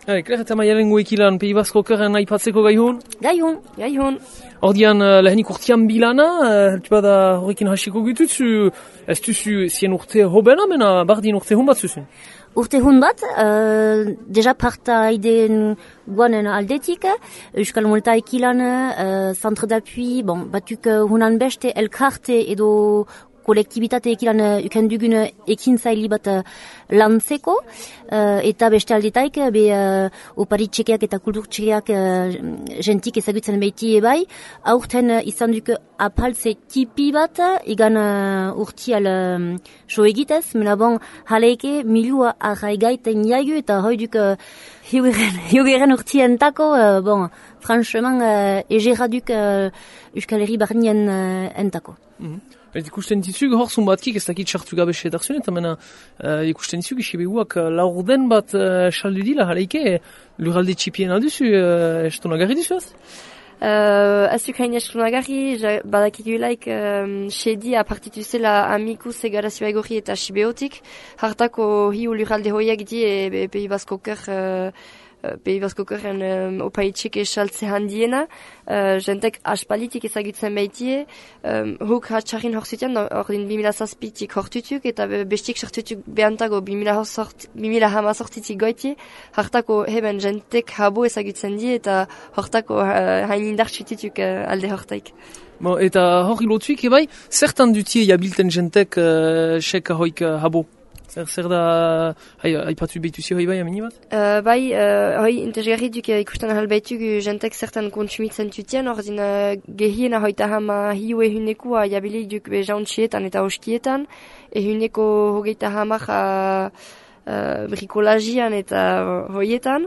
Claire eta Maialen guekilan Pays Basque okerren aipatzeko gaihun? Gaihun. Ordian lehenik urtean bilana, heltu bada horrekin hasiko gututzu, ez duzu zien urte hobena, mena bardin urte hon bat zuzun? Urte hun bat, deja parta ideen guanen aldetik, Euskal Moltaekilan, centre d'appui, batuk hunan beste elkarte edo kolektibitate ekilan ukendugun ekintzaili bat lantzeko, eta beste aldetaik, opari txekeak eta kultur txekeak jentik ezagutzen behiti ebai, aurten izan duk apaltze tipi bat, igan urtial so egitez, mena bon, haleike milua arraigaiten jaigu, eta hoi duk hiugeren urtien tako, franchement, egera duk Euskal Herri barnien entako. Ikusten dizug horzun batkik ez dakit sartu gabe sedarzun, eta mena ikusten dizug isibeguak laurden bat saldu dila haleike lurralde txipien alduzu, estonagarri dizuaz? Ez duk hain estonagarri, badakigulaik sedi apartituzela amikuz egarazioa egorri eta sibeotik, hartako hiu lurralde hoiak di Pays Basque oker Pays Basque okerren opaitxik esaltze handiena, jentek aspalitik ezagutzen baitie, huk hatxarrin horzitean, ordin 2007-tik hortutuk, eta bestik sartutuk behantago 2018-tik goitie, hartako heben jentek habo ezagutzen die, eta hortako hain indartxutituk alde hortaik. Eta hori lotuik ebai, zertan dutie jabilten jentek seka hoik habo? Zer da, haipatu behituzi hoi bai amini bat? Hoi interesgarri duk ikusten ahal behituk jentek zertan kontsumitzen tutien, ordin gehiena hoita hama hiu ehunekua jabili duk jauntxietan eta oskietan, ehuneko hogeita hamak brikolagian eta hoietan,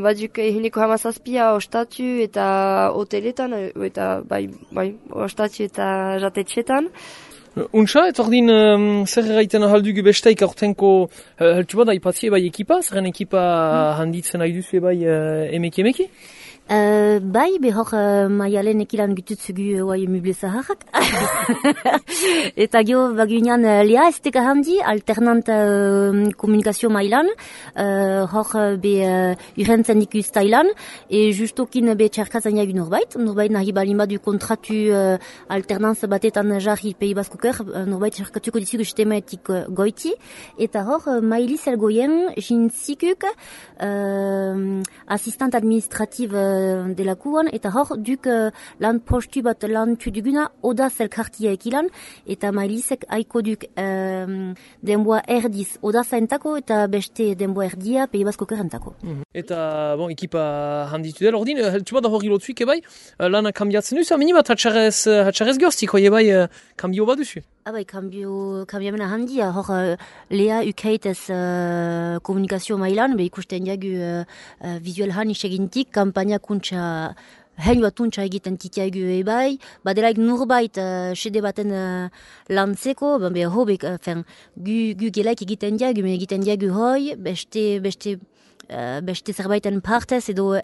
baduk ehuneko hamazazpia ostatu eta hoteletan, eta ostatu eta jatetxetan. Untsa, eta ordin zer erraiten ahaldugu besteik aurtenko heltu bada ipatzie bai ekipa, zerren ekipa handitzen nahi duzu bai emeki? Behor Maialen ekilan gututzugu muble zaharrak. Eta gio bagunean lea ez teka handi, alternant komunikazio mailan, hor urrentzen dikuz tailan, justokin txarkazan jagu norbait nahi balima du kontratu alternanz batetan jarri Pays Basque oker, norbait txarkatuko dizugu sistematik goiti, eta hor Mailiz elgoien jintzikuk asistant administrativ delakuan, eta hor duk lan postu bat lan tuduguna oda zelkartia ekilan, eta Mailizek aiko duk denboa erdiz oda zaentako, eta beste denboa erdia Pays Basque okerentako. Eta, ekipa handitu dela, ordin, heltu bat hori lotuik ebai, lana kambiatzen duzu, amini bat hatxarrez goztik, hoi ebai kambio bat duzu? Kambiamena handia, hor lea ukaitez komunikazio mailan, ikusten jagu visual han isegintik, kampaina kuntza hein bat untsa egiten titiagu ebai, badelaik nurbait sede baten lantzeko, hobek, gu gelaik egiten jagu hoi, beste zerbaiten partez edo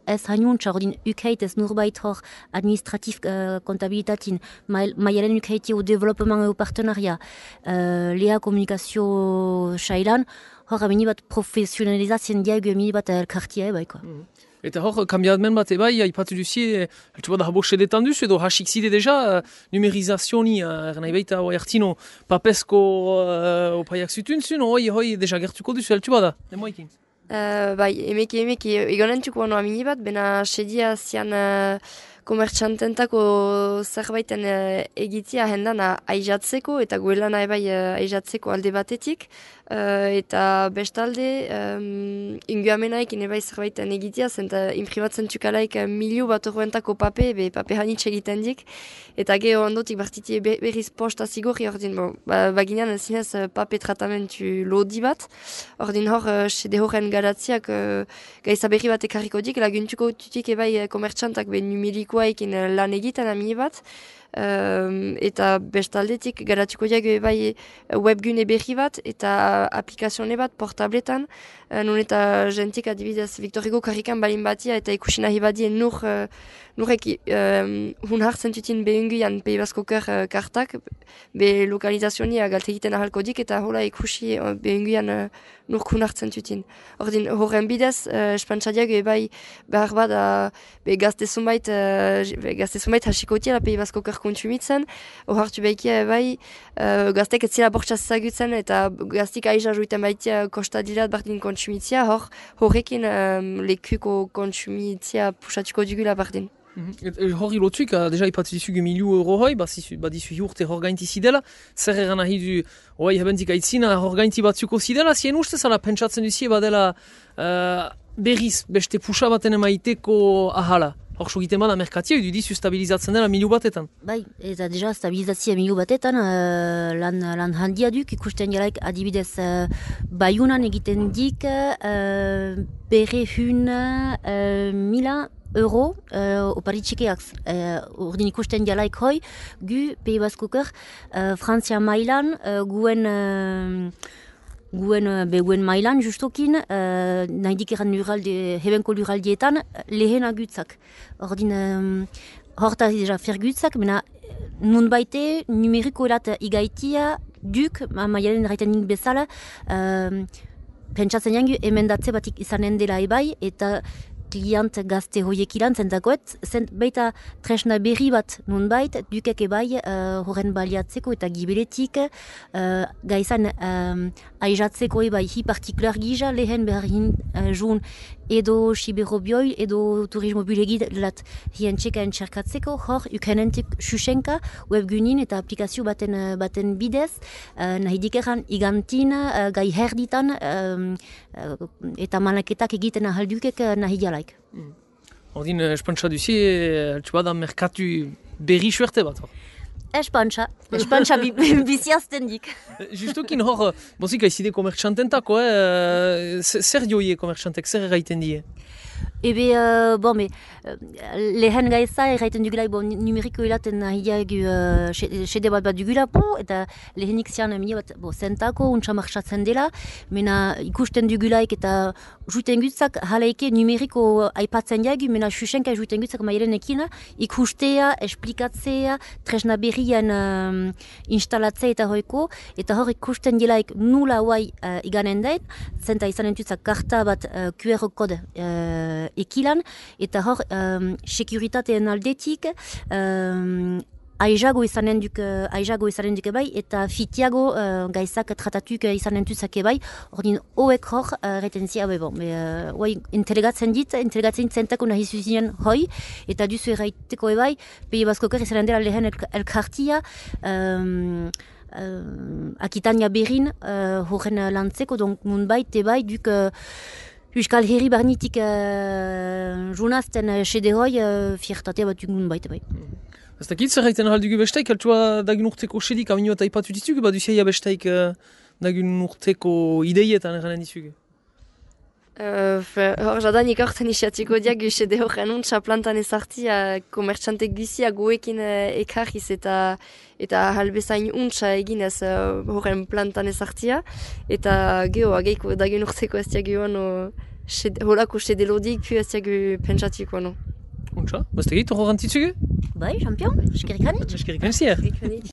ez hainuntza, ordin ukaitez nurbait hor administratif kontabilitatin, maialen ukaiti o development o partenaria, lea komunikazio sailan, hor amini bat profesionalizatzen diagu amini bat elkartia ebaiko. Eta hor, kambiadmen bat ebai, haipatu duzie, heltu bat habo sedetan duzu, edo hasik zide deja, numerizazioni, nahi baita, ertino, papesko opaiak zutunzun, hoi deja gertuko duzu, heltu bada, demoikin? Emeki, egonentuko bano amini bat, bena sedia zian komertxantentako zerbaiten egitia hendan aizatzeko, eta guelana ebai aizatzeko alde batetik, eta bestalde inguamenaik ebai zerbaiten egitia, zenta imprimatzen txukalaik milio bat horrentako pape hanitxe egiten dik, eta geho ondotik bartiti berriz posta zigorri, ordin, baginean zinez pape tratamentu lodi bat, ordin hor, sede horren garatziak gaiza berri bat ekarriko dik, laguntuko tutik ebai komertxantak numerikoa ekin lan egiten amini bat, eta bestaldetik garatuko diago bai webgune berri bat eta aplikazione bat portabletan, non eta jentik adibidez Victor Hugo karrikan balin batia eta ikusi nahi badien nurek hun hartzen tutin behunguian Pei Baskoker kartak, be lokalizazionia galte egiten ahalko dik eta hola ikusi behunguian nurk hun hartzen tutin. Ordin horren bidez, espantzadiak bai behar bada gazte zumait hasikotia Pei Baskoker kontsumitzen, hor hartu behikia bai gaztek etzila bortxaz zagutzen eta gaztik aiza juiten baitia kostadilat bardin kontsumitzia, horrekin lekuko kontsumitzia pusatuko dugula bardin. Hori lotuik, deja ipatu dizugu €1.000 hoi, badizu urte hor gainti zidela, zer egan nahi du, hoi hebentik aitzina hor gainti batzuko zidela, zien ustez ala pentsatzen duzie badela berriz beste puxa baten emaiteko ahala. Hor sogiten bada merkatia, du dizu stabilizatzen dela 1.000 batetan. Bai, eta deja stabilizatzia 1.000 batetan lan handia duk, ikusten jalaik adibidez Baiunan egiten dik €100.000 opari txikeak. Urdin ikusten jalaik hoi, gu Pei Baskoker Frantzia mailan guen mailan justokin nahi dikeran hebenko luraldietan lehen agutzak. Ordin horta deja fergutzak, mena nun baite numeriko erat igaitia duk, maialen raiten nik bezala, pentsatzen jangu emendatze batik izanen dela ebai, eta klient gazte hoiek ilan zentakoet, baita tresna berri bat nunbait, dukek ebai horren baliatzeko eta gibeletik gaizan aizatzeko ebai hi partikular gisa lehen beharrin jun edo siberobioil edo turismo bulegit lat hien txekaen txerkatzeko hor ukenentik xuxenka webgunin eta aplikazio baten bidez nahi dikeran igantin gai herditan eta manaketak egiten ahaldukek nahi jalaik. Ordin, espantza duzi, bada merkatu berri suerte bat hor? Espantza biziazten dik. Justokin hor, bozik aizide komertxantentako, zer joie komertxantek, zer erraiten die? Ebe, lehen gaiza erraiten dugula, numeriko elaten nahiagu sede bat dugula, eta lehenik zian zentako, untsa marxatzen dela, mena ikusten dugulaik eta juiten gutzak halaike numeriko aipatzen jagu, mena xuxenka juiten gutzak mailenekin, ikustea, esplikatzea, tresna berrian instalatzea eta hoiko, eta hor ikusten delaik nula huai iganen dait, zenta izanen dutzak karta bat QR kode ekilan, eta hor sekuritateen aldetik aizago izanen duke bai, eta fitiago gaizak tratatuk izanen duzake bai, ordin hoek hor retentzia entelegatzen zentako nahi zuzien hoi, eta duzu erraiteko ebai, Pei Baskoker izanen dela lehen elkartia, Akitania berrin horren lantzeko, nun bai, duk Euskal Herri barnitik junazten sede hoi fiertatea bat dugun baita bai. Ez dakit zer haiten ahaldugu besteik, altua dagun urteko sedik aminu eta ipatu dizugu, badu zeia besteik dagun urteko ideietan eranen dizugu? Hor jadanik horten isiatiko diak sede horren untsa plantan ezarti komertxantek bizia goekin ekarriz eta halbezain untsa eginez horren plantan ezartia eta geho ageiko dagun urteko ez diagoan holako sede lodik ez diago pentsatiko no. Untsa, baztegit horren titzugu? Bai, champion, eskerrik anitz. Eskerrik anitz.